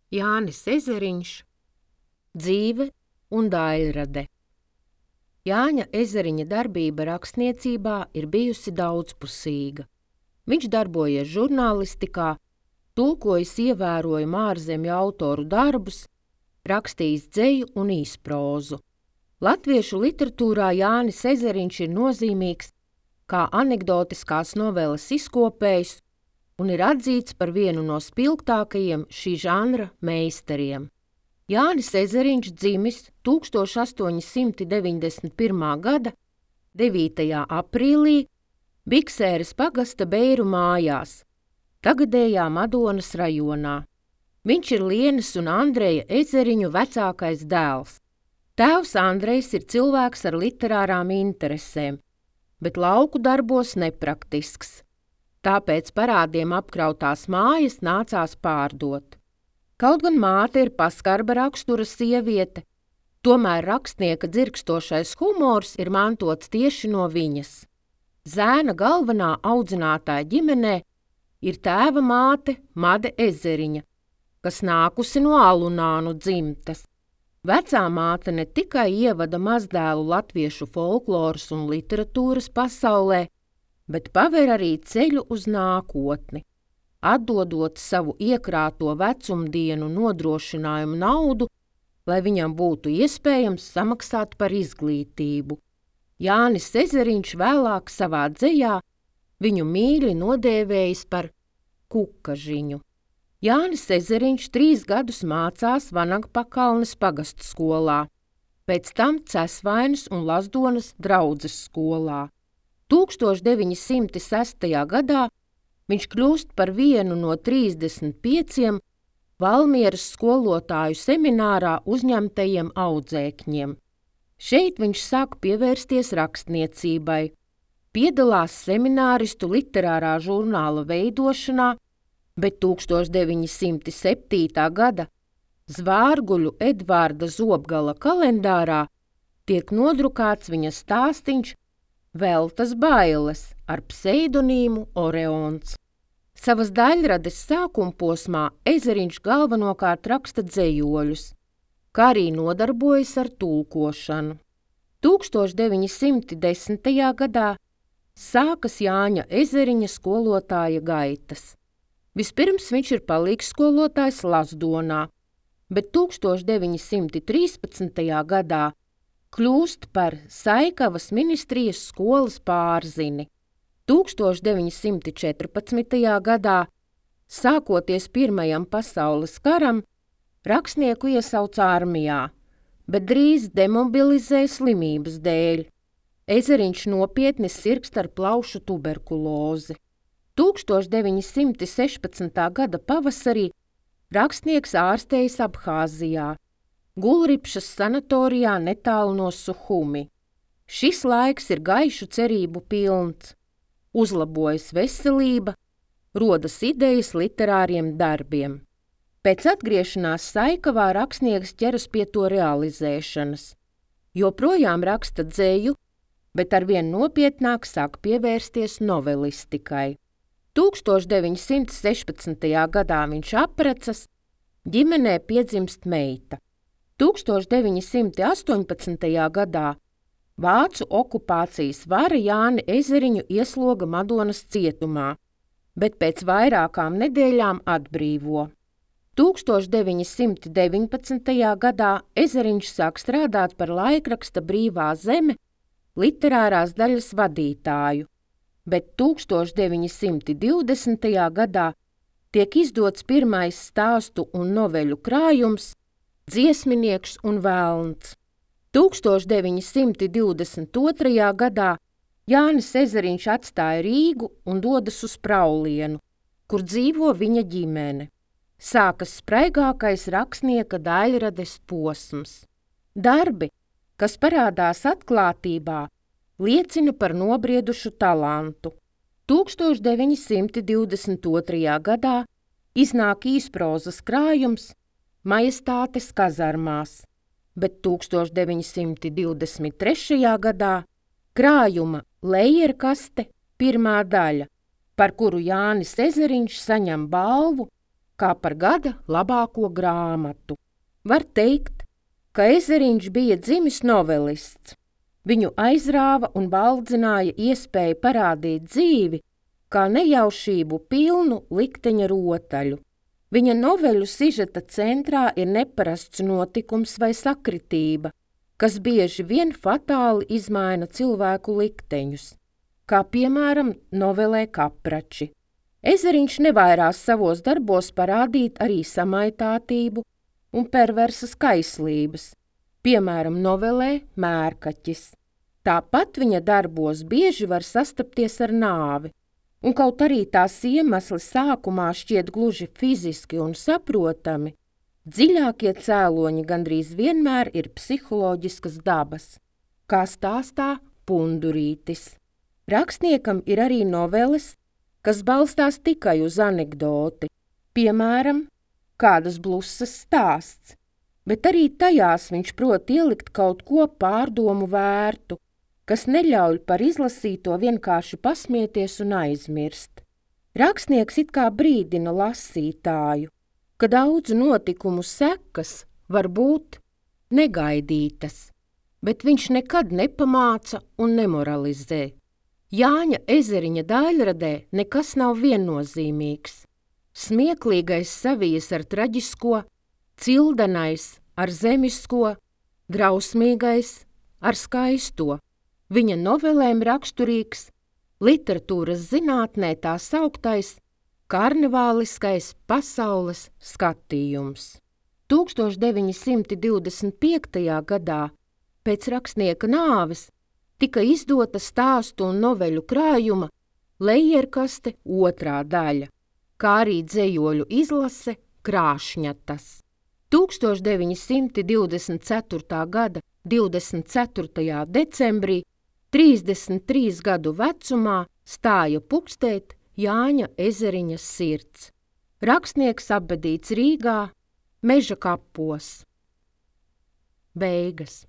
Jānis Ezeriņš, dzīve un daļrade. Jāņa Ezeriņa darbība rakstniecībā ir bijusi daudzpusīga. Viņš darbojies žurnālistikā, tulkojis ievērojumu ārzemju autoru darbus, rakstījis dzeju un īsprozu. Latviešu literatūrā Jānis Ezeriņš ir nozīmīgs kā anekdotiskās noveles izkopējs un ir atzīts par vienu no spilgtākajiem šī žanra meistariem. Jānis Ezeriņš dzimis 1891. gada 9. aprīlī Biksēras pagasta Beiru mājās, tagadējā Madonas rajonā. Viņš ir Lienas un Andreja Ezeriņu vecākais dēls. Tēvs Andrejs ir cilvēks ar literārām interesēm, bet lauku darbos nepraktisks. Tāpēc parādiem apkrautās mājas nācās pārdot. Kaut gan māte ir paskarba rakstura sieviete, tomēr rakstnieka dzirkstošais humors ir mantots tieši no viņas. Zēna galvenā audzinātāja ģimenē ir tēva māte Made Ezeriņa, kas nākusi no alunānu dzimtes. Vecā māte ne tikai ievada mazdēlu latviešu folkloras un literatūras pasaulē, bet paver arī ceļu uz nākotni, atdodot savu iekrāto vecumdienu nodrošinājumu naudu, lai viņam būtu iespējams samaksāt par izglītību. Jānis Ezeriņš vēlāk savā dzejā viņu mīļi nodēvējis par Kukažiņu. Jānis Ezeriņš 3 gadus mācās Vanagpakalnes pagastu skolā, pēc tam Cesvainas un Lazdonas draudzes skolā. 1906. gadā viņš kļūst par vienu no 35 Valmieras skolotāju seminārā uzņemtajiem audzēkņiem. Šeit viņš sāk pievērsties rakstniecībai, piedalās semināristu literārā žurnāla veidošanā, bet 1907. gada Zvārguļu Edvarda Zobgala kalendārā tiek nodrukāts viņa stāstiņš Veltas bailes ar pseidonīmu Oreons. Savas daļrades sākumposmā Ezeriņš galvenokārt raksta dzejoļus, kā arī nodarbojas ar tulkošanu. 1910. gadā sākas Jāņa Ezeriņa skolotāja gaitas. Vispirms viņš ir palīgsskolotājs Lazdonā, bet 1913. gadā kļūst par Saikavas ministrijas skolas pārzini. 1914. gadā, sākoties Pirmajam pasaules karam, rakstnieku iesauc armijā, bet drīz demobilizē slimības dēļ. Ezeriņš nopietni sirgst ar plaušu tuberkulozi. 1916. gada pavasarī rakstnieks ārstējas Abhāzijā, Gulripšas sanatorijā netālu no Suhumi. Šis laiks ir gaišu cerību pilns. Uzlabojas veselība, rodas idejas literāriem darbiem. Pēc atgriešanās Saikavā rakstnieks ķeras pie to realizēšanas. Joprojām raksta dzeju, bet arvien nopietnāk sāk pievērsties novelistikai. 1916. gadā viņš apprecas, ģimenē piedzimst meita. 1918. gadā vācu okupācijas vara Jāni Ezeriņu iesloga Madonas cietumā, bet pēc vairākām nedēļām atbrīvo. 1919. gadā Ezeriņš sāk strādāt par laikraksta Brīvā zeme literārās daļas vadītāju, bet 1920. gadā tiek izdots pirmais stāstu un noveļu krājums Dziesminieks un velns. 1922. gadā Jānis Ezeriņš atstāja Rīgu un dodas uz Praulienu, kur dzīvo viņa ģimene. Sākas spraigākais rakstnieka daļrades posms. Darbi, kas parādās atklātībā, liecina par nobriedušu talantu. 1922. gadā iznāk īsprozas krājums Majestātes kazarmās, bet 1923. gadā krājuma Lejerkaste pirmā daļa, par kuru Jānis Ezeriņš saņem balvu kā par gada labāko grāmatu. Var teikt, ka Ezeriņš bija dzimis novelists. Viņu aizrāva un baldzināja iespēja parādīt dzīvi kā nejaušību pilnu likteņa rotaļu. Viņa noveļu sižeta centrā ir neparasts notikums vai sakritība, kas bieži vien fatāli izmaina cilvēku likteņus, kā piemēram novelē Kaprači. Ezeriņš nevairās savos darbos parādīt arī samaitātību un perversas kaislības, piemēram novelē Mērkaķis. Tāpat viņa darbos bieži var sastapties ar nāvi, un kaut arī tās iemesli sākumā šķiet gluži fiziski un saprotami, dziļākie cēloņi gandrīz vienmēr ir psiholoģiskas dabas, kā stāstā Pundurītis. Rakstniekam ir arī noveles, kas balstās tikai uz anekdoti, piemēram, kādas blusas stāsts, bet arī tajās viņš prot ielikt kaut ko pārdomu vērtu, kas neļauj par izlasīto vienkārši pasmieties un aizmirst. Rakstnieks it kā brīdina lasītāju, ka daudzu notikumu sekas var būt negaidītas, bet viņš nekad nepamāca un nemoralizē. Jāņa Ezeriņa daļradē nekas nav viennozīmīgs. Smieklīgais savijas ar traģisko, cildenais ar zemisko, drausmīgais ar skaisto. Viņa novelēm raksturīgs literatūras zinātnē tā sauktais karnevāliskais pasaules skatījums. 1925. gadā pēc rakstnieka nāves tika izdota stāstu un noveļu krājuma Lejerkaste 2. daļa, kā arī dzejoļu izlase Krāšņatas. 1924. gada 24. decembrī 33 gadu vecumā stāja pukstēt Jāņa Ezeriņa sirds. Rakstnieks apbedīts Rīgā, Meža kapos. Beigas.